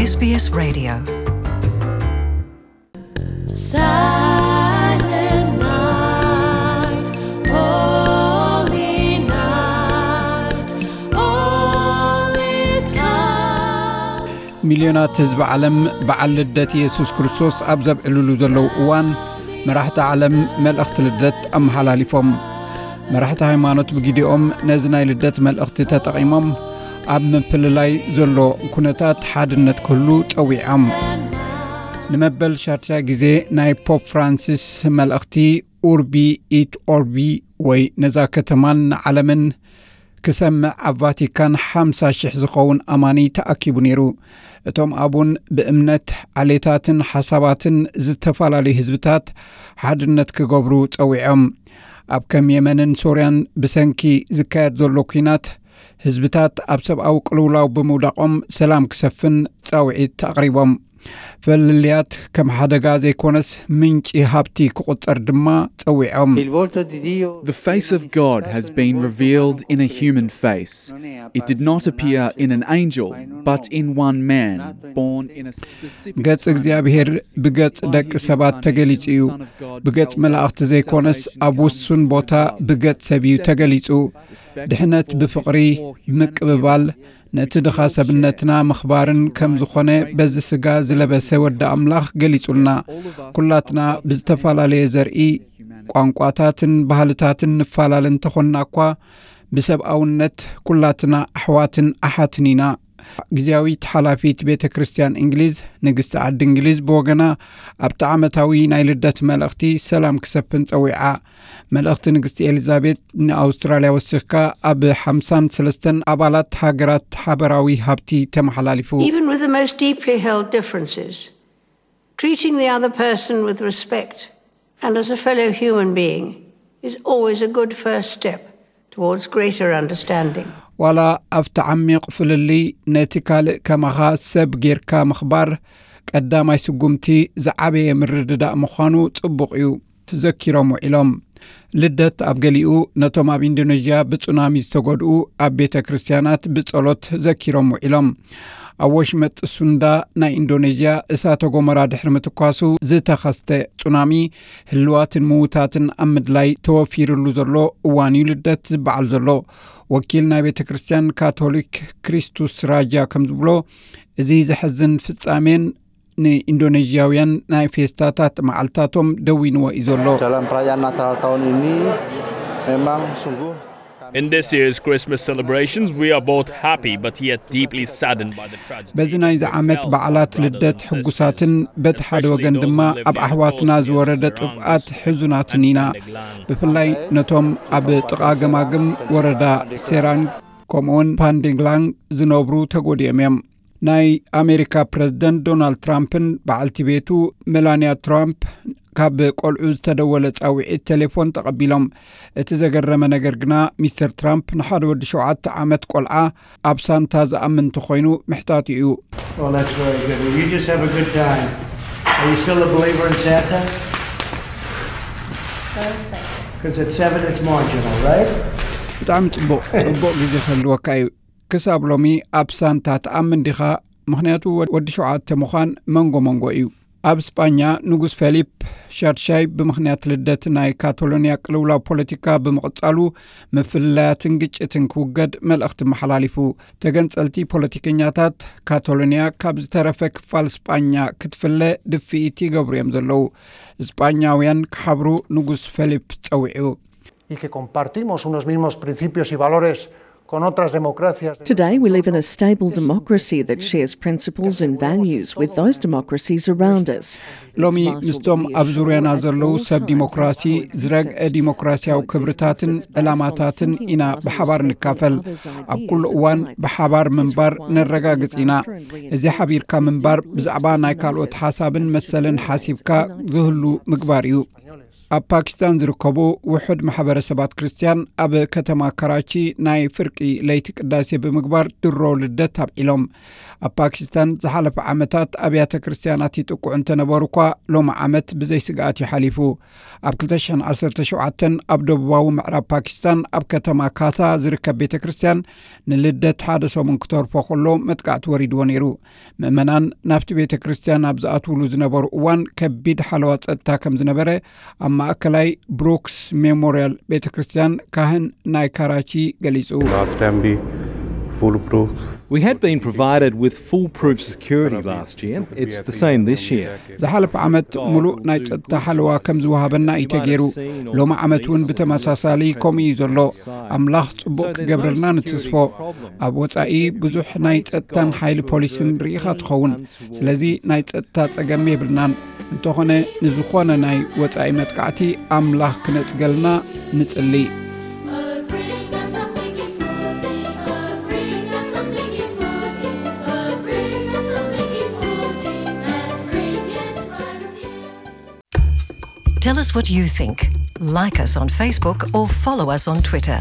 S B S Radio. Silent night, holy night, all is calm. ሚልዮናት ህዝቢ ዓለም በዓል ልደት የሱስ ክርስቶስ ኣብ ዘብዕልሉ ዘለዉ እዋን፣ መራሕቲ ዓለም መልእኽቲ ልደት ኣመሓላሊፎም። መራሕቲ ሃይማኖት ብግዲኦም ነዚ ናይ ልደት መልእኽቲ ተጠቒሞም፣ ኣብ ምፍልላይ ዘሎ ኩነታት ሓድነት ክህሉ ጸዊዖም። ንመበል ሻድሻይ ግዜ ናይ ፖፕ ፍራንሲስ መልእኽቲ ኡርቢ ኢት ኦርቢ፣ ወይ ነዛ ከተማን ንዓለምን ክሰምዕ ኣብ ቫቲካን ሓምሳ ሽሕ ዝኸውን ኣማኒ ተኣኪቡ ነይሩ። እቶም ኣቡን ብእምነት፣ ዓሌታትን ሓሳባትን ዝተፈላለዩ ህዝብታት ሓድነት ክገብሩ ጸዊዖም። ኣብ ከም የመንን ሶርያን ብሰንኪ ዝካየድ ዘሎ ኲናት ህዝብታት ኣብ ሰብኣዊ ቅልውላው ብምውዳቖም ሰላም ክሰፍን ጻውዒት ኣቕሪቦም። ፍልልያት ከም ሓደጋ ዘይኮነስ ምንጪ ሃብቲ ክቑጸር ድማ ጸዊዖም። The face of God has been revealed in a human face. It did not appear in an angel, but in one man, born in a specific ገጽ time and እግዚኣብሔር place. ብገጽ By ደቂ his ሰባት ተገሊጹ እዩ። incarnation, the Son of God ብገጽ tells መላእኽቲ us ዘይኮነስ salvation ኣብ comes ውሱን through ቦታ love. ብገጽ ሰብ እዩ Acceptance, ተገሊጹ። respect ድሕነት for ብፍቕሪ፣ his poor humanity ብምቅብባል፣ and his ነቲ ድኻ ሰብነትና ምኽባርን ከም ዝኾነ በዚ ስጋ ዝለበሰ ወዲ ኣምላኽ ገሊጹልና። ኩላትና ብዝተፈላለየ ዘርኢ፣ ቋንቋታትን ባህልታትን ንፈላለ እንተኾንና እኳ፣ ብሰብኣውነት ኩላትና ኣሕዋትን ኣሓትን ኢና። ግዜያዊት ሓላፊት ቤተ ክርስቲያን እንግሊዝ፣ ንግስቲ ዓዲ እንግሊዝ ብወገና፣ ኣብቲ ዓመታዊ ናይ ልደት መልእኽቲ ሰላም ክሰፍን ጸዊዓ። መልእኽቲ ንግስቲ ኤሊዛቤት ንኣውስትራልያ ወሲኽካ ኣብ ሓምሳን ሰለስተን ኣባላት ሃገራት ሓበራዊ ሃብቲ ተመሓላሊፉ። Even with the most deeply held differences, treating the other person with respect and as a fellow human being is always a good first step towards greater understanding. ዋላ ኣብቲ ዓሚቕ ፍልልይ ነቲ ካልእ ከማኻ ሰብ ጌርካ ምኽባር ቀዳማይ ስጉምቲ ዝዓበየ ምርድዳእ ምዃኑ ጽቡቕ እዩ ዘኪሮም ውዒሎም። ልደት ኣብ ገሊኡ ነቶም ኣብ ኢንዶኔዥያ ብጹናሚ ዝተጎድኡ ኣብ ቤተ ክርስቲያናት ብጸሎት ዘኪሮም ውዒሎም። ኣብ ወሽመጥ ሱንዳ ናይ ኢንዶኔዥያ እሳተ ጎመራ ድሕሪ ምትኳሱ ዝተኸስተ ጹናሚ፣ ህልዋትን ምዉታትን ኣብ ምድላይ ተወፊርሉ ዘሎ እዋን እዩ ልደት ዝበዓል ዘሎ። ወኪል ናይ ቤተ ክርስቲያን ካቶሊክ ክሪስቱስ ራጃ ከም ዝብሎ፣ እዚ ዘሕዝን ፍጻሜን ንኢንዶኔዥያውያን ናይ ፌስታታት መዓልታቶም ደዊንዎ እዩ ዘሎ። Dalam perayaan Natal tahun ini memang sungguh In this year's Christmas celebrations, we are both happy but yet deeply saddened by the tragedy. በዚ ናይዚ ዓመት በዓላት ልደት ሕጉሳትን በቲ ሓደ ወገን ድማ ኣብ ኣሕዋትና ዝወረደ ጥፍኣት ሕዙናትን ኢና። ብፍላይ ነቶም ኣብ ጥቓ ገማግም ወረዳ ሴራንግ ከምኡውን ፓንዴግላንግ ዝነብሩ ተጎዲኦም እዮም። ናይ ኣሜሪካ ፕረዚደንት ዶናልድ ትራምፕን በዓልቲ ቤቱ ሜላንያ ትራምፕ ካብ ቆልዑ ዝተደወለ ጻውዒት ቴሌፎን ተቐቢሎም። እቲ ዘገረመ ነገር ግና፣ ሚስተር ትራምፕ ንሓደ ወዲ ሸውዓተ ዓመት ቆልዓ ኣብ ሳንታ ዝኣምን እንተኾይኑ ምሕታቱ እዩ። Well, that's very good. Well, you just have a good time. Are you still a believer in Santa? Because at seven, it's marginal, right? ብጣዕሚ ጽቡቕ፣ ጽቡቕ ግዜ ክህልወካ እዩ። ክሳብ ሎሚ ኣብ ሳንታ ትኣምን ዲኻ? ምኽንያቱ ወዲ ሸውዓተ ምዃን መንጎ መንጎ እዩ። ኣብ ስጳኛ ንጉስ ፌሊፕ ሻድሻይ ብምኽንያት ልደት ናይ ካቶሎንያ ቅልውላው ፖለቲካ ብምቕጻሉ፣ ምፍልላያትን ግጭትን ክውገድ መልእኽቲ መሓላሊፉ። ተገንጸልቲ ፖለቲከኛታት ካቶሎንያ ካብ ዝተረፈ ክፋል ስጳኛ ክትፍለ ድፍኢት ይገብሩ እዮም ዘለዉ። ስጳኛውያን ክሓብሩ ንጉስ ፌሊፕ ጸዊዑ። Y que compartimos unos mismos principios y valores con otras democracias. Today, we live in a stable democracy that shares principles and values with those democracies around us. ሎሚ ምስቶም ኣብ ዙርያና ዘለዉ ሰብ ዲሞክራሲ ዝረግአ ዲሞክራሲያዊ ክብርታትን ዕላማታትን ኢና ብሓባር ንካፈል። ኣብ ኩሉ እዋን ብሓባር ምንባር ነረጋግጽ ኢና። እዚ ሓቢርካ ምንባር ብዛዕባ ናይ ካልኦት ሓሳብን መሰልን ሓሲብካ ዝህሉ ምግባር እዩ። ኣብ ፓኪስታን ዝርከቡ ውሑድ ማሕበረሰባት ክርስትያን ኣብ ከተማ ካራቺ ናይ ፍርቂ ለይቲ ቅዳሴ ብምግባር ድሮ ልደት ኣብዒሎም። ኣብ ፓኪስታን ዝሓለፈ ዓመታት ኣብያተ ክርስትያናት ይጥቅዑ እንተነበሩ እኳ፣ ሎሚ ዓመት ብዘይ ስግኣት እዩ ሓሊፉ። ኣብ ክልተ ሽሕን ዓሰርተ ሸውዓተን ኣብ ደቡባዊ ምዕራብ ፓኪስታን ኣብ ከተማ ካታ ዝርከብ ቤተ ክርስትያን ንልደት ሓደ ሰሙን ክተርፎ ከሎ መጥቃዕቲ ወሪድዎ ነይሩ። ምእመናን ናብቲ ቤተ ክርስትያን ኣብ ዝኣትውሉ ዝነበሩ እዋን ከቢድ ሓለዋ ጸጥታ ከም ዝነበረ ኣብ ማእከላይ ብሩክስ ሜሞሪያል ቤተ ክርስትያን ካህን ናይ ካራቺ ገሊጹ። Last time we foolproof. We had been provided with foolproof security last year. It's the same this year. ዝሓለፈ ዓመት ሙሉእ ናይ ጸጥታ ሓለዋ ከም ዝወሃበና እዩ ተገይሩ። ሎሚ ዓመት እውን ብተመሳሳሊ ከምኡ እዩ ዘሎ። ኣምላኽ ጽቡቕ ክገብረልና ንትስፎ። ኣብ ወጻኢ ብዙሕ ናይ ጸጥታን ሓይሊ ፖሊስን ርኢኻ ትኸውን። ስለዚ ናይ ጸጥታ ጸገም የብልናን። እንተኾነ ንዝኾነ ናይ ወጻኢ መጥቃዕቲ ኣምላኽ ክነጽገልና ንጽሊ። Tell us what you think. Like us on Facebook or follow us on Twitter.